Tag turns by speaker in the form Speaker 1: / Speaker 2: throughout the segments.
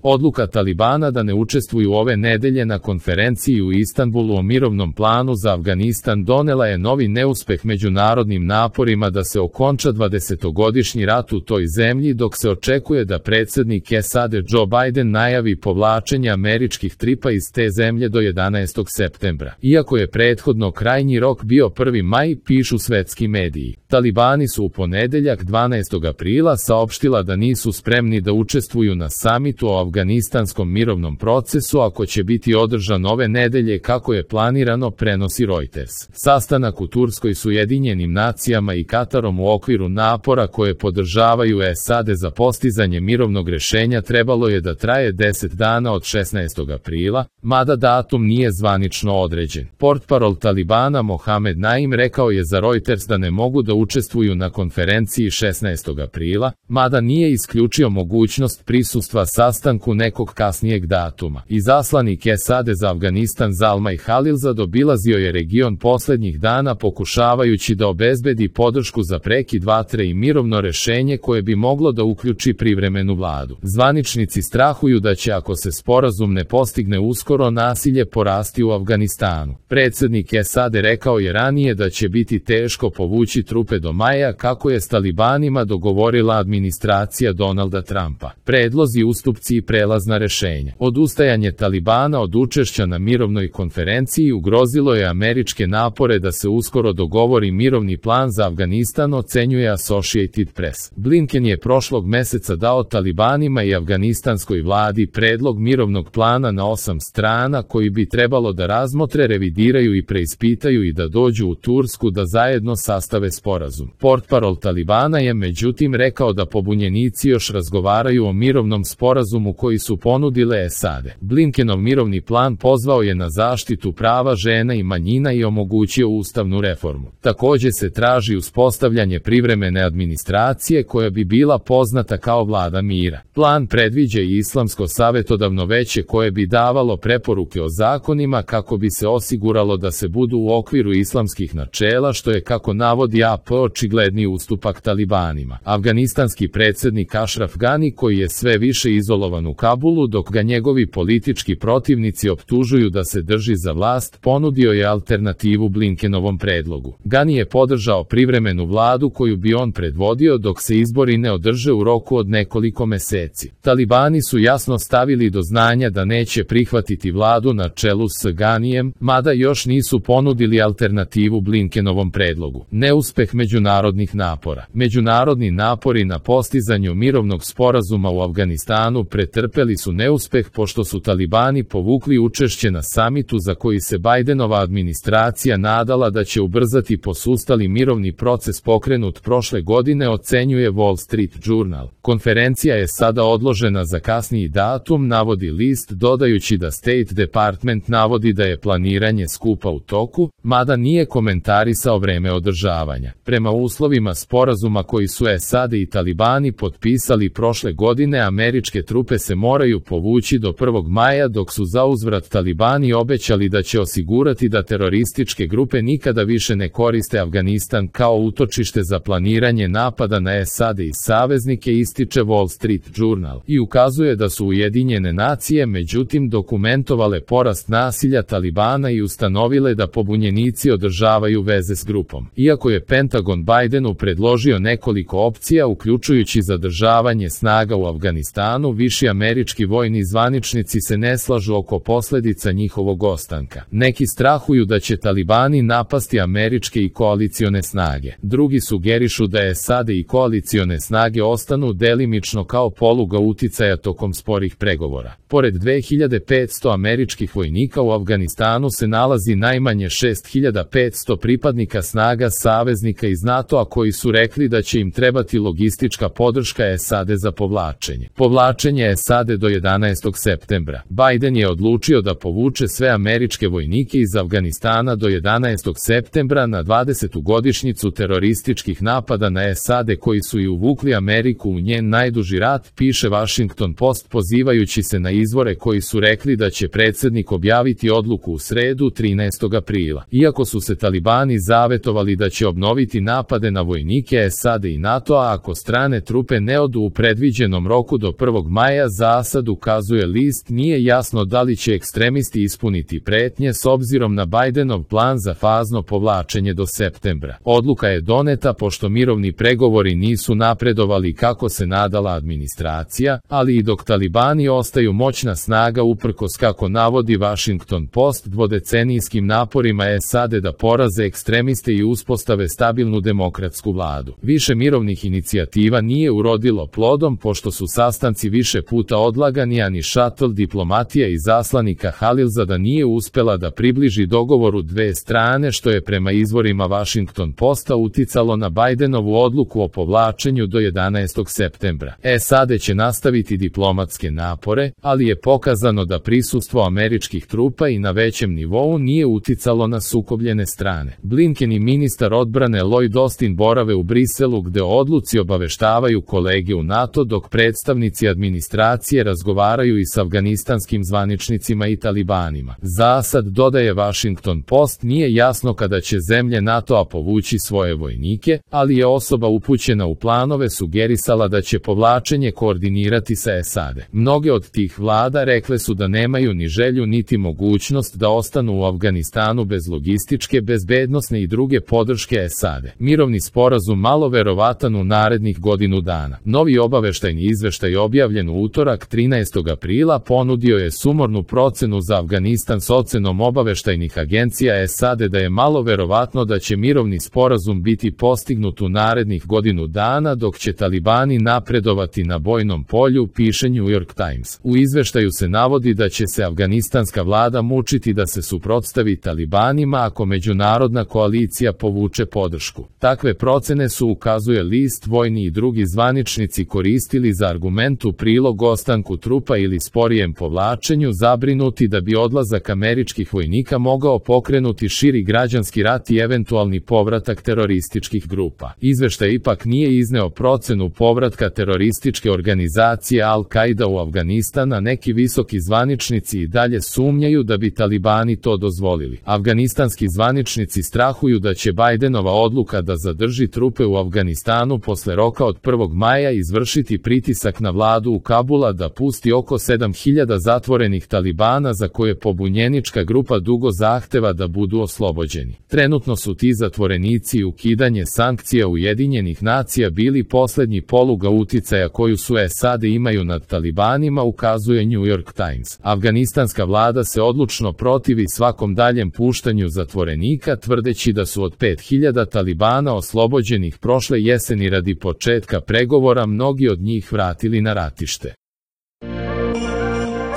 Speaker 1: Odluka Talibana da ne učestvuju ove nedelje na konferenciji u Istanbulu o mirovnom planu za Afganistan donela je novi neuspeh međunarodnim naporima da se okonča 20-godišnji rat u toj zemlji, dok se očekuje da predsjednik SAD Joe Biden najavi povlačenje američkih trupa iz te zemlje do 11. septembra. Iako je prethodno krajnji rok bio 1. maj, pišu svetski mediji. Talibani su u ponedeljak 12. aprila saopštila da nisu spremni da učestvuju na samitu o afganistanskom mirovnom procesu ako će biti održan ove nedelje kako je planirano, prenosi Reuters. Sastanak u Turskoj s Ujedinjenim nacijama i Katarom u okviru napora koje podržavaju SAD za postizanje mirovnog rešenja trebalo je da traje 10 dana od 16. aprila, mada datum nije zvanično određen. Portparol Talibana Mohamed Naim rekao je za Reuters da ne mogu da učestvuju na konferenciji 16. aprila, mada nije isključio mogućnost prisustva sastanku nekog kasnijeg datuma. Izaslanik SAD za Afganistan Zalmay Khalilzad obilazio je region poslednjih dana pokušavajući da obezbedi podršku za prekid vatre i mirovno rešenje koje bi moglo da uključi privremenu vladu. Zvaničnici strahuju da će, ako se sporazum ne postigne uskoro, nasilje porasti u Afganistanu. Predsjednik SAD rekao je ranije da će biti teško povući trupe do maja kako je s Talibanima dogovorila administracija Donalda Trumpa. Predlozi, ustupci i prelazna rešenja. Odustajanje Talibana od učešća na mirovnoj konferenciji ugrozilo je američke napore da se uskoro dogovori mirovni plan za Afganistan, ocenjuje Associated Press. Blinken je prošlog meseca dao Talibanima i afganistanskoj vladi predlog mirovnog plana na 8 strana koji bi trebalo da razmotre, revidiraju i preispitaju i da dođu u Tursku da zajedno sastave sporazum. Portparol Talibana je međutim rekao da pobunjenici još razgovaraju o mirovnom sporazumu koji su ponudile SAD. Blinkenov mirovni plan pozvao je na zaštitu prava žena i manjina i omogućio ustavnu reformu. Takođe se traži uspostavljanje privremene administracije koja bi bila poznata kao vlada mira. Plan predviđa i islamsko savetodavno veće koje bi davalo preporuke o zakonima kako bi se osiguralo da se budu u okviru islamskih načela, što je, kako navodi AP, očigledni ustupak Talibanima. Afganistanski predsjednik Ashraf Ghani, koji je sve više izolovan u Kabulu dok ga njegovi politički protivnici optužuju da se drži za vlast, ponudio je alternativu Blinkenovom predlogu. Ghani je podržao privremenu vladu koju bi on predvodio dok se izbori ne održe u roku od nekoliko meseci. Talibani su jasno stavili do znanja da neće prihvatiti vladu na čelu s Ghanijem, mada još nisu ponudili alternativu Blinkenovom predlogu. Neuspeh međunarodnih napora. Međunarodni napori na postizanju mirovnog sporazuma u Afganistanu pretrpeli su neuspeh pošto su Talibani povukli učešće na samitu za koji se Bidenova administracija nadala da će ubrzati posustali mirovni proces pokrenut prošle godine, ocenjuje Wall Street Journal. Konferencija je sada odložena za kasniji datum, navodi list, dodajući da State Department navodi da je planiranje skupa u toku, mada nije komentarisao vreme održavanja. Prema uslovima sporazuma koji su SAD i Talibani potpisali prošle godine, američke trupe se moraju povući do 1. maja, dok su zauzvrat Talibani obećali da će osigurati da terorističke grupe nikada više ne koriste Afganistan kao utočište za planiranje napada na SAD i saveznike, ističe Wall Street Journal, i ukazuje da su Ujedinjene nacije međutim dokumentovale porast nasilja Talibana i ustanovile da pobunjenici održavaju veze s grupom. Iako je Pentagon Bidenu predložio nekoliko opcija, uključujući zadržavanje snaga u Afganistanu, viši američki vojni zvaničnici se ne slažu oko posledica njihovog ostanka. Neki strahuju da će Talibani napasti američke i koalicione snage. Drugi sugerišu da SAD i koalicione snage ostanu delimično kao poluga uticaja tokom sporih pregovora. Pored 2500 američkih vojnika u Afganistanu se nalazi najmanje 6500 pripadnika snaga saveznika iz NATO-a koji su rekli da će im trebati logistička podrška SAD za povlačenje. Povlačenje SAD do 11. septembra. Biden je odlučio da povuče sve američke vojnike iz Afganistana do 11. septembra na 20. godišnjicu terorističkih napada na SAD koji su i uvukli Ameriku u njen najduži rat, piše Washington Post pozivajući se na izvore koji su rekli da će predsjednik objaviti odluku u sredu 13. aprila. Iako su se Talibani zavetovali da će obnoviti napade na vojnike SAD i NATO-a ako strane trupe ne odu u predviđenom roku do 1. maja, za sad, ukazuje list, nije jasno da li će ekstremisti ispuniti pretnje s obzirom na Bajdenov plan za fazno povlačenje do septembra. Odluka je doneta pošto mirovni pregovori nisu napredovali kako se nadala administracija, ali i dok talibani ostaju moćna snaga uprkos, kako navodi Washington Post, dvodecenijskim naporima SAD da poraze ekstremiste i uspostave stabilnu demokratsku vladu. Više mirovnih inicijativa nije urodilo plodom pošto su sastanci više puta odlagani, a ni šatl diplomatija izaslanika Halilzada nije uspela da približi dogovoru dve strane, što je prema izvorima Washington Posta uticalo na Bajdenovu odluku o povlačenju do 11. septembra. SAD će nastaviti diplomatske napore, ali je pokazano da prisustvo američkih trupa i na većem nivou nije uticalo na sukobljene strane. Blinken i ministar odbrane Lloyd Austin borave u Briselu, gde o odluci obaveštavaju kolege u NATO, dok predstavnici administracije razgovaraju i s afganistanskim zvaničnicima i talibanima. Za sad, dodaje Washington Post, nije jasno kada će zemlje NATO-a povući svoje vojnike, ali je osoba upućena u planove sugerisala da će povlačenje koordinirati sa SAD. Mnoge od tih vlada rekle su da nemaju ni želju niti mogućnost da ostanu u Afganistanu bez logističke, bezbednosne i druge podrške SAD. Mirovni sporazum malo verovatan u narednih godinu dana. Novi obaveštajni izveštaj objavljen u utorak 13. aprila ponudio je sumornu procenu za Afganistan s ocenom obaveštajnih agencija SAD da je malo verovatno da će mirovni sporazum biti postignut u narednih godinu dana, dok će talibani napredovati na bojnom polju, piše New York Times. U izveštaju se navodi da će se afganistanska vlada mučiti da se suprotstavi talibanima ako međunarodna koalicija povuče podršku. Takve procene su, ukazuje list, vojni i drugi zvaničnici koristili za argument u prilog ostanku trupa ili sporijem povlačenju, zabrinuti da bi odlazak američkih vojnika mogao pokrenuti širi građanski rat i eventualni povratak terorističkih grupa. Izveštaj ipak nije izneo procenu povratka terorističke organizacije Al-Qaida u Afganistan, a neki visoki zvaničnici i dalje sumnjaju da bi talibani to dozvolili. Afganistanski zvaničnici strahuju da će Bajdenova odluka da zadrži trupe u Afganistanu posle roka od 1. maja izvršiti pritisak na vladu u Kabula da pusti oko 7000 zatvorenih talibana za koje pobunjenička grupa dugo zahteva da budu oslobođeni. Trenutno su ti zatvorenici i ukidanje sankcija Ujedinjenih nacija bili poslednji poluga uticaja koju su SAD imaju nad talibanima, ukazuje New York Times. Afganistanska vlada se odlučno protivi svakom daljem puštanju zatvorenika, tvrdeći da su od 5000 talibana oslobođenih prošle jeseni radi početka pregovora mnogi od njih vratili na ratište.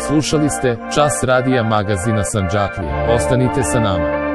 Speaker 1: Slušali ste Čas radija magazina Sandžaklija. Ostanite sa nama.